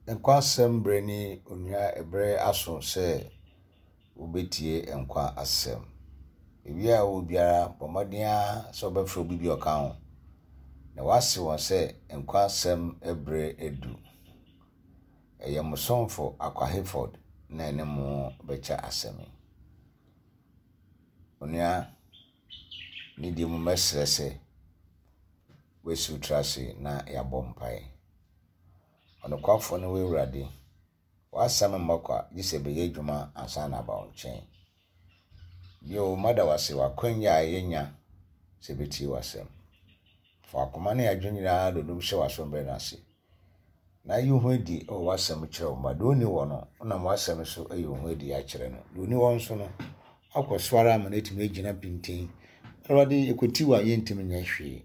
Nkwa asɛm berɛ ni onua ɛberɛ aso sɛ wobɛtie nkwa asɛm. Baabi a wowɔ biara bɔ mmɔden ara sɛ wobɛfrɛ obi bi a ɔka ho na woase wɔn sɛ nkwa asɛm berɛ adu. Ɛyɛ mo somfo Akwa Hayford na ɛne mo bɛkyɛ asɛm yi. Onua, ne deɛ mu mɛsrɛ sɛ woasi wo tiri ase na yɛabɔ mpaeɛ. Ɔnokwafo ne wo Awurade. W'asɛm mmɔ kwa, gye sɛ ɛbɛyɛ adwuma ansa na aba wo nkyɛn. Bio, mada wo ase wɔ akwannya a yɛanya sɛ yɛbɛtie w'asɛm. Fa w'akoma ne adwene nyinaa dodom hyɛ w'asom berɛ no ase, na yi wo ho adi wɔ w'asɛm kyerɛ wo mma. Deɛ ɔnni hɔ no, wonam w'asɛm so ayi wo ho adi akyerɛ no. Deɛ ɔnni hɔ nso no, woakɔ so ara ama no atumi agyina pintinn. Awurade, yɛkwati wo a, yɛntumi nyɛ hwee.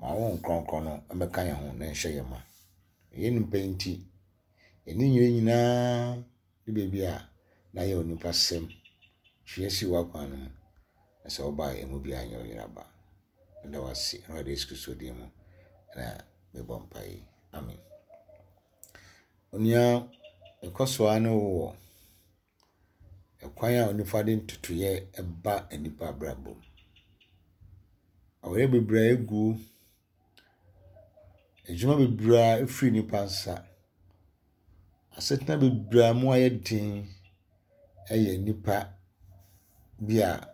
Ma wo Honhom Kronkron no mmɛka yɛn ho na nhyɛ yɛn ma. Yɛn nnipa yi nti, yɛn nneyɛe nyinaa ne baabi a na ayɛ onipa sɛm. Twe yɛn si w'akwan no mu, na sɛ woba a yɛn mu biara nyɛ ɔyera ba. Meda wo ase, Awurade Yesu Kristo din mu na mebɔ mpae yi. Amen. Onua, ɛkɔ so ara ne wo wɔ ɛkwan a onipa de ntotoeɛ ba nnipa abrabɔ mu. Awareɛ bebree a ɛgu, adwuma bebree a ɛfiri nnipa nsa, asetena bebree a mu ayɛ den yɛ nnipa bi a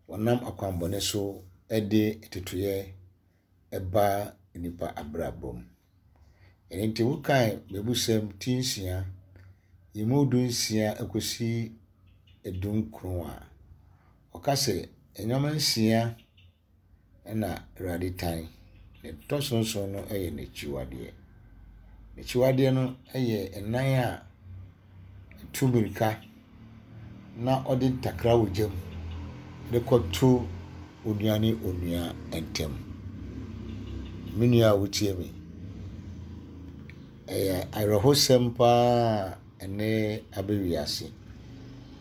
wɔnam akwammɔne so de ntotoeɛ ba nnipa abrabɔ mu. Ɛno nti wokae Mmebusɛm ti nsia, emu 16 kɔsi 19 a, ɔka sɛ nneɛma nsia na Awurade tan, na ɛtɔ so nson no yɛ n'akyiwadeɛ. N'akyiwadeɛ no yɛ nan a tu mmirika na ɔde ntakra wɔ gya mu de kɔto onua ne onua ntam. Me nua a wotie me, ɛyɛ awerɛhosɛm paa a ɛnnɛ aba wiase,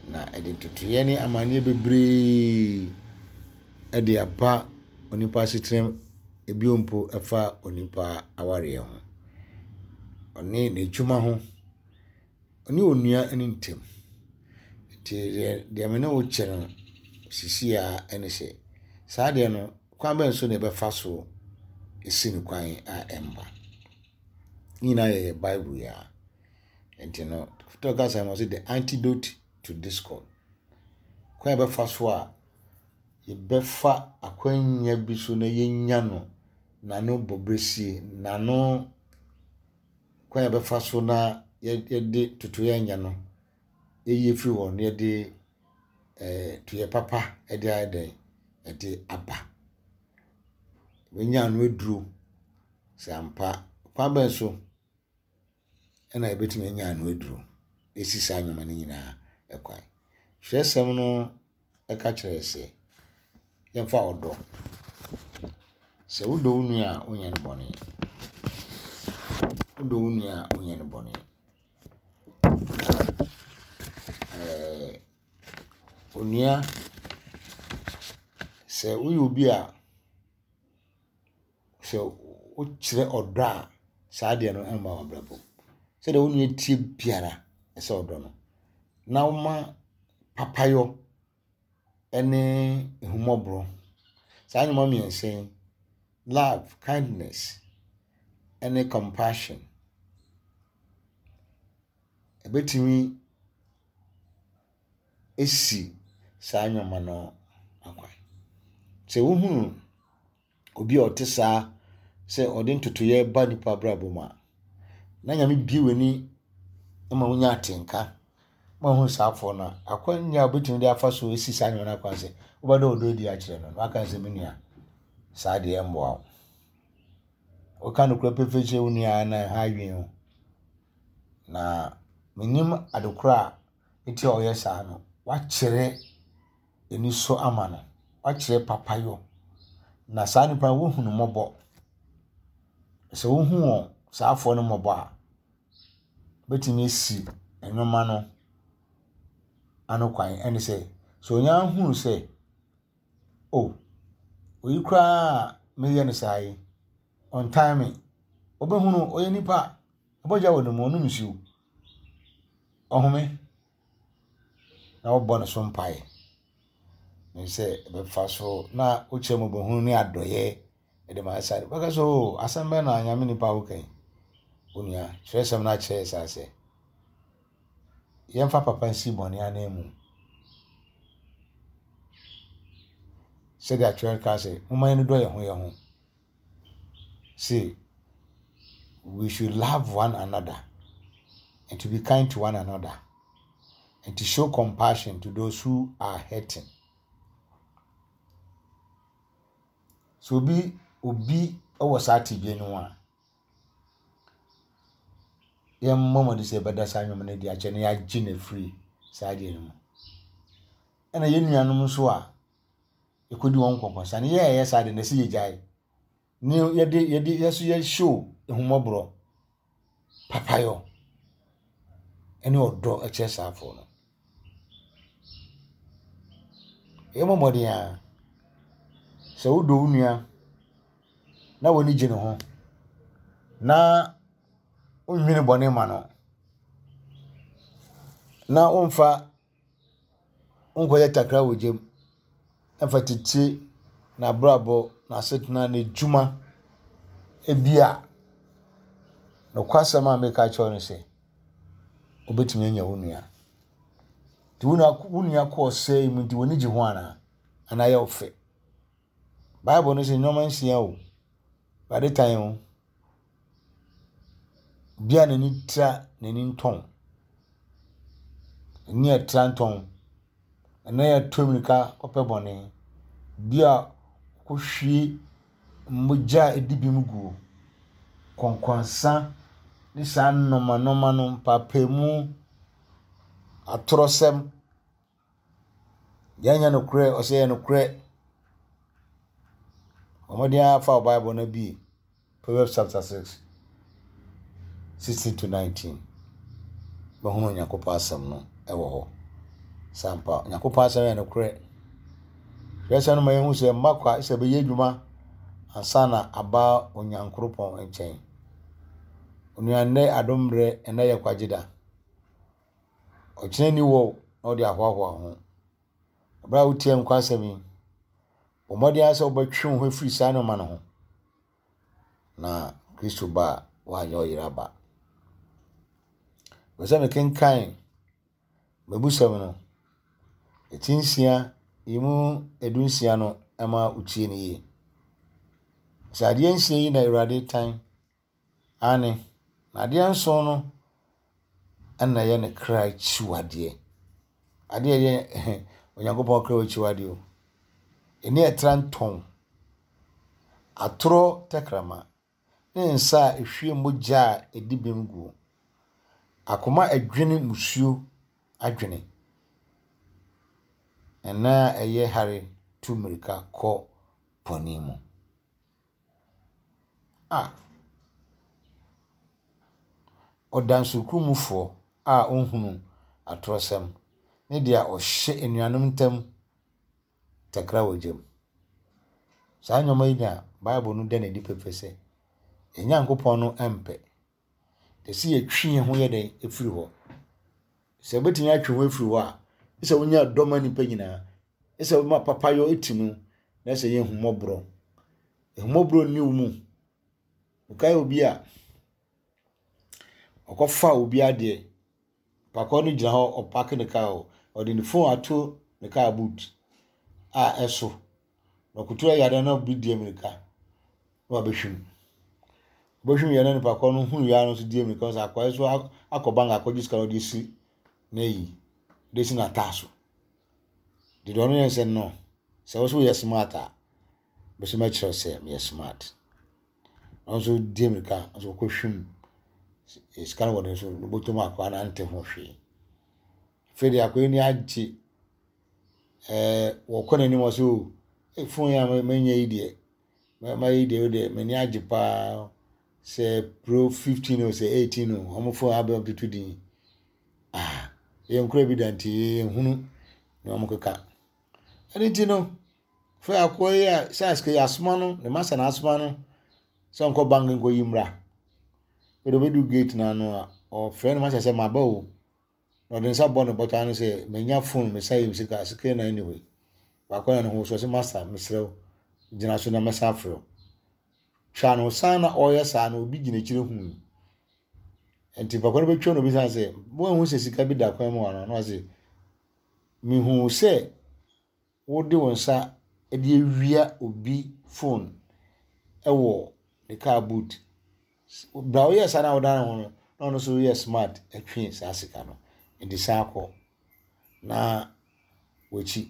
na ɛde ntotoeɛ ne amaneɛ bebree de aba onipa asetena mu, bio mpo ɛfa onipa awareɛ ho, ɔne n'adwuma ho. Ɔne onua no ntam. Nti deɛ deɛ me ne wo kyɛ no seesei ara ne sɛ, saa adeɛ no, kwan bɛn so na yɛbɛfa so asi no kwan a ɛmma? Ne nyinaa yɛ Bible yi ara. Nti no, tɔ kasa mu ɔse the antidote to discord. Kwan a yɛbɛfa so a yɛbɛfa akwannya bi so na yɛnya no n'ano bɔberɛsie, n'ano kwan a yɛbɛfa so na yɛde totoeɛ anya no yɛyi afiri hɔ na yɛde ɛɛ toyɛ papa de ayɛ dɛn de aba. Yɛbɛnya ano aduro sɛ ampa. Kwan bɛn so na yɛbɛtumi anya ano aduro asi saa nneɛma no nyinaa kwan? Twerɛsɛm no ka kyerɛ yɛn sɛ yɛmfa ɔdɔ. Sɛ wodɔ wo nua a, wonyɛ no bɔne. Wodɔ wo nua a, wonyɛ no bɔne. Ɛɛ onua, sɛ woyɛ obi a sɛ wokyerɛ ɔdɔ a, saa adeɛ no mma w'abrabɔ mu. Sɛdeɛ wo nua teɛ biara, ɛsɛ sɛ wodɔ no. Na woma papayɔ ne ahummɔborɔ. Saa nneɛma mmiɛnsa yi, love, kindness ne compassion, ɛbɛtumi asi saa nneɛma no akwan. Sɛ wohunu obi a ɔte saa sɛ ɔde ntotoeɛ ba nipa abrabɔ mu a, na Nyame bue w'ani ma wonya atenka ma wohu saa afoɔ no a, akwannya a wobɛtumi de afa so asi saa nneɛma no akwan sɛ wobɛda ɔdɔ adi akyerɛ no na waka sɛ me nua saa deɛ ɛmmoa wo. Woka nokorɛ pefee kyerɛ wo nua na ɛha adwene o. Na menim adekorɔ a nti a ɔyɛ saa no, wakyerɛ anisɔ ama no, wakyerɛ papayɔ. Na saa nipa no wohu no mmɔbɔ. Sɛ wohu wɔn saa afoɔ no mmɔbɔ a, wobɛtumi asi nneɛma no ano kwan. Ɛne sɛ, sɛ onya hunu sɛ, oh, oyi koraa a meyɛ no saa yi, ɔntan me. Wobɛhunu ɔyɛ nipa. Mogya wɔ ne mu, ɔnom nsuo. Ɔhome na wɔbɔ ne so mpaeɛ. Ne sɛ ɛbɛfa so na wokyerɛ mmɔbɔhunu ne adɔeɛ de ma ɛsa de. Bɛka sɛ o asɛm bɛn na nyame nipa woka yi. Onua, kyerɛsɛm no akyerɛ saa sɛ yɛmfa papa nsi bɔne ananmu. Sɛdeɛ atwerɛ ka sɛ, momma yɛnnodɔ yɛn ho yɛn ho. Say, we should love one another and to be kind to one another and to show compassion to those who are hurting. So obi obi wɔ saa tebea no a yɛmmɔ mmɔden sɛ yɛbɛda saa nnwom no adi akyerɛ na yɛagye no afiri saa adeɛ no mu. Ɛna yɛn nuanom nso a yɛkɔdi wɔn nkɔnkɔnsa no, yɛn a yɛyɛ saa de no ɛsɛ yɛgyae. Ne yɛde yɛde yɛ so yɛ show ehummɔborɔ, papayɔ ɛne ɔdɔ kyerɛ saa afoɔ no. Yɛmmɔ mmɔden a sɛ wodɔ wo nua na w'ani gye ne ho na wonnwene bɔne ma no na womfa wonkɔyɛ takra wɔ gya mu mfa tete n'abrabɔ, n'asetena, n'adwuma. Ebia nokwasɛm a meka akyerɛ wo ne sɛ, wobɛtumi anya wo nua. Nti wo nua wo nua kɔ ɔsɛe mu nti w'ani gye ho anaa? Anaa ɛyɛ wo fɛ? Bible no sɛ nneɛma nsia o, Awurade tan o. Obi a n'ani tra n'ani ntɔn. N'ani a ɛtra ntɔn. N'ani a ɛtu mmirika kɔpɛ bɔne. Obi a ɔkɔhwie mogya a ɛdi bem guo. Kɔnkɔnsa ne saa nnoɔma nnoɔma no, mpaapaemu, atorɔsɛm. Deɛ ɛnyɛ nokorɛ, ɔsɛ ɛyɛ nokorɛ. Bɔ mmɔden ara fa wo Bible no bue Proverbs chapter 6, 16 to 19. Bɛhunu Onyankopɔn asɛm no wɔ hɔ. Sɛ ampa, Onyankopɔn asɛm yɛ nokorɛ. Twerɛsɛm no ma yɛhu sɛ mma kwa sɛ ɛbɛyɛ adwuma ansa na aba Onyankoropɔn nkyɛn. Onua nnɛ adom mmerɛ, ɛnnɛ yɛ kwagye da. Ɔkyena nni hɔ na ɔde ahoahoa ho. Bere a wotie nkwa asɛm yi, bɔ mmɔden ara sɛ wobɛtwe wo ho afiri saa nneɛma no ho. Na Kristo ba a, woanyɛ ɔyera ba. Pɛ sɛ mekenkan mabusɛm no, ɛti nsia, yi mu 16 no ma wotie no yie. Sɛ adeɛ nsia yi na Awurade tan Aane, na adeɛ nson no na ɛyɛ ne kra akyiwadeɛ. Adeɛ a ɛyɛ Onyankopɔn kra akyiwadeɛ o. Ani a ɛtra ntɔn, atorɔ tɛkrɛma, ne nsa a ɛhwie mogya a ɛdi bem guo. Akoma a ɛdwene mmusuo adwene, na nan a ɛyɛ hare tu mmirika kɔ bɔne mu. A ɔdansekurumfoɔ a ɔnhunu atorɔsɛm ne deɛ ɔhyɛ anuanom ntam takra wɔ gya mu. Saa nneɛma yi na Bible no da no adi pefee sɛ yɛn Nyankopɔn no mpɛ. Ɛsɛ sɛ yɛtwe yɛn ho yɛ dɛn firi hɔ. Sɛ wobɛtumi atwe ho afiri hɔ a, sɛ wonya dɔ ma nnipa nyinaa, sɛ woma papayɔ ti mu, na sɛ yɛ ahummɔborɔ. Ahummɔborɔ nni wo mu. Wokae obi a ɔkɔfa obi adeɛ, pakɔ no gyina hɔ ɔpake ne kaa o, ɔde ne phone ato ne kaa boot a ɛso. Na ɔkoto ayare na obi di amirika na wabɛhwim. Ɔbɛhwim yɛ na nipa korɔ no hunu yɛ no nso di amirika sɛ akwadaa yi nso akɔ bank akɔgye sika na ɔde asi n'ayi, ɔde asi n'ataaso. Deɛ ɔno yɛ sɛ no, sɛ wo nso woyɛ smart a, me nso mɛkyerɛ wo sɛ meyɛ smart. Ɔno nso di amirika nso kɔhwim sika no wɔ ne so, ne bɔtɔ mu akwadaa no ante ho hwee. Afei deɛ akwadaa yi ani agye. Ɛɛ wɔkɔ n'anim ɔsɛ o ei phone yi a manya yi deɛ mayɛ yi deɛ wo deɛ m'ani agye paa sɛ pro 15 o sɛ 18 o wɔn phone abɛn tutu din ah yɛn kura bi da nti yɛn hunu na wɔn keka ɛne ti no fɛ akoa yi a sɛ asike yɛ asoma no ne masa na asoma no sɛ nkɔ bank nkɔ yi mmra. Afei ɔbɛdu gate no ano a, ɔfrɛ no ma sɛ sɛ maba o. Na ɔde ne nsa bɔ ne bɔtɔ ano sɛ manya phone mesa yɛ sika sika na anyway. Baako na ne ho so ɔsɛ master mesrɛ wo gyina so na mɛsan afrɛ wo. Twa no san na ɔreyɛ saa no obi gyina akyire hu. Nti papa no bɛtwa no obisa sɛ woanhu sɛ sika bi da kwan mu anaa na ɔse mehu sɛ wode wo nsa de awia obi phone wɔ ne car boot. Bra woyɛ saa na wodan ho no, na ɔno nso yɛ smart twe saa sika no. Nti san kɔ na w'akyi.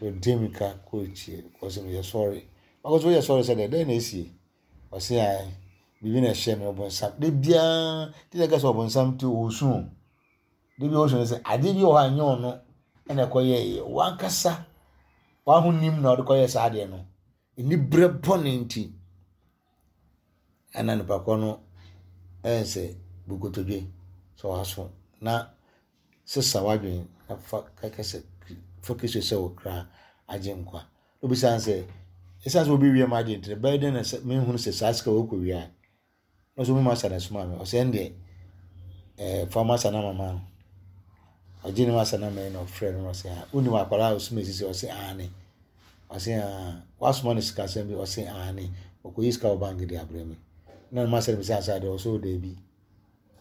Ɔdi mmirika kɔ akyire ɔse meyɛ sorry. Ɔka sɛ woyɛ sorry sɛ dɛn? Dɛn na esie? Ɔse ae biribi na ɛhyɛ me ɔbonsam. Da biara ti na ɛka sɛ ɔbonsam ti ɔresu o. Da biara ɔsu no sɛ adeɛ bi wɔ hɔ a nyɛ ɔno ɛna ɛkɔyɛeɛ. Wankasa w'ahonim na ɔde kɔyɛɛ saa adeɛ no. Aniberɛ bɔne nti ɛna nipa korɔ no ɛyɛ sɛ bu nkotodwe sɛ waso na sesa w'adwene na fa kɛkɛ sɛ fa Kristo sɛ wo kra agye nkwa. Obisa sɛ ɛsiane sɛ obi wia m'adeɛ nti bɛyɛ dɛn na sɛ menhunu sɛ saa sika wɔ kɔ wia Na ɔsɛ ɔmu masa na ɛsomaa me. Ɔsɛ ɛndeɛ ɛɛ fa masa na mama no. Ɔgye ne masa na mɛyi na ɔfrɛ no na ɔsɛ ah wonim akwadaa a ɔsoma esisi ɔsɛ aane. Ɔsɛ ah wasoma no sikasɛm bi ɔsɛ aane. Ɔkɔyi sika wɔ bank de abrɛ me. Na ne masa no bisa sɛ adeɛ ɔsɛ o daabi.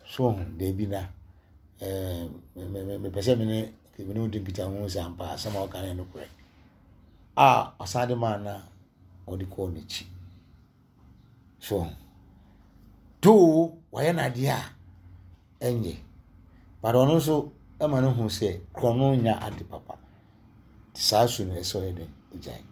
So ho daabi na ɛɛ me me mepɛ sɛ me ne me ne wo di nkitaho sɛ ampa asɛm a ɔka no yɛ nokorɛ. A ɔsan de maa na ɔde kɔɔ n'akyi. So though wayɛ no adeɛ a ɛnyɛ but ɔno nso ma no hu sɛ korɔno nyɛ ade papa. Nti saa su no ɛsɛ ɔyɛ dɛn ogyae.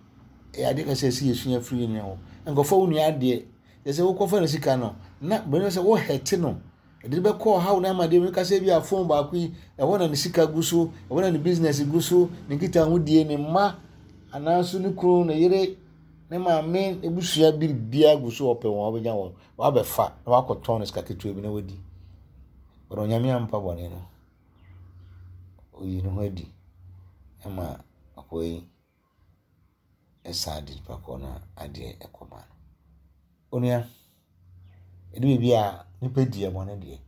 Ɛyɛ adeɛ kɛse ɛsɛ yɛsua firi yɛn nua hɔ. Nkɔfa wo nua adeɛ kyerɛ sɛ wokɔfa ne sika no na bɛn sɛ wo hɛte no ɛde bɛkɔ ɔhaw ne amadeɛ mu kasa bi a phone baako yi ɛhɔ na ne sika gu so ɛhɔ na ne business gu so ne nkitahodie ne mma anaa nso ne kunu ne yere Ne maame abusua biribiara gu so ɔpɛ wɔn ɔbɛnya wɔn wabɛfa na wakɔtɔn no sika ketewa bi na wadi. But Onyame ampa bɔne no, oyi ne ho adi ma akoa yi san de nipa korɔ no adeɛ kɔma no. Onua, ɛdu baabi a nipa di yɛn bɔne deɛ,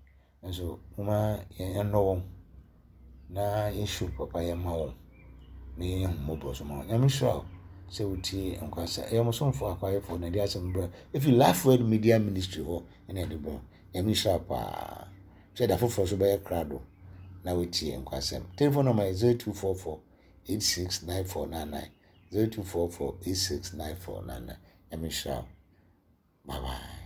Nanso momma yɛnnɔ wɔn na yɛnhyɛ papa yɛ mma wɔn na yɛnyɛ ahummɔborɔ nso ma wɔn. Nyame nhyira wo sɛ wotie nkwasa. Ɛyɛ mo somfo Akwayefoɔ na ɛde asɛm brɛ ɛfiri Life Word Media Ministry hɔ ɛna ɛde brɛ. Nyame nhyira wo paa. Sɛ da foforɔ so bɛyɛ krado na wotie nkwasɛm. Telephone number yɛ 0244 869499 0244 869499. Nyame nhyira wo. Bye bye.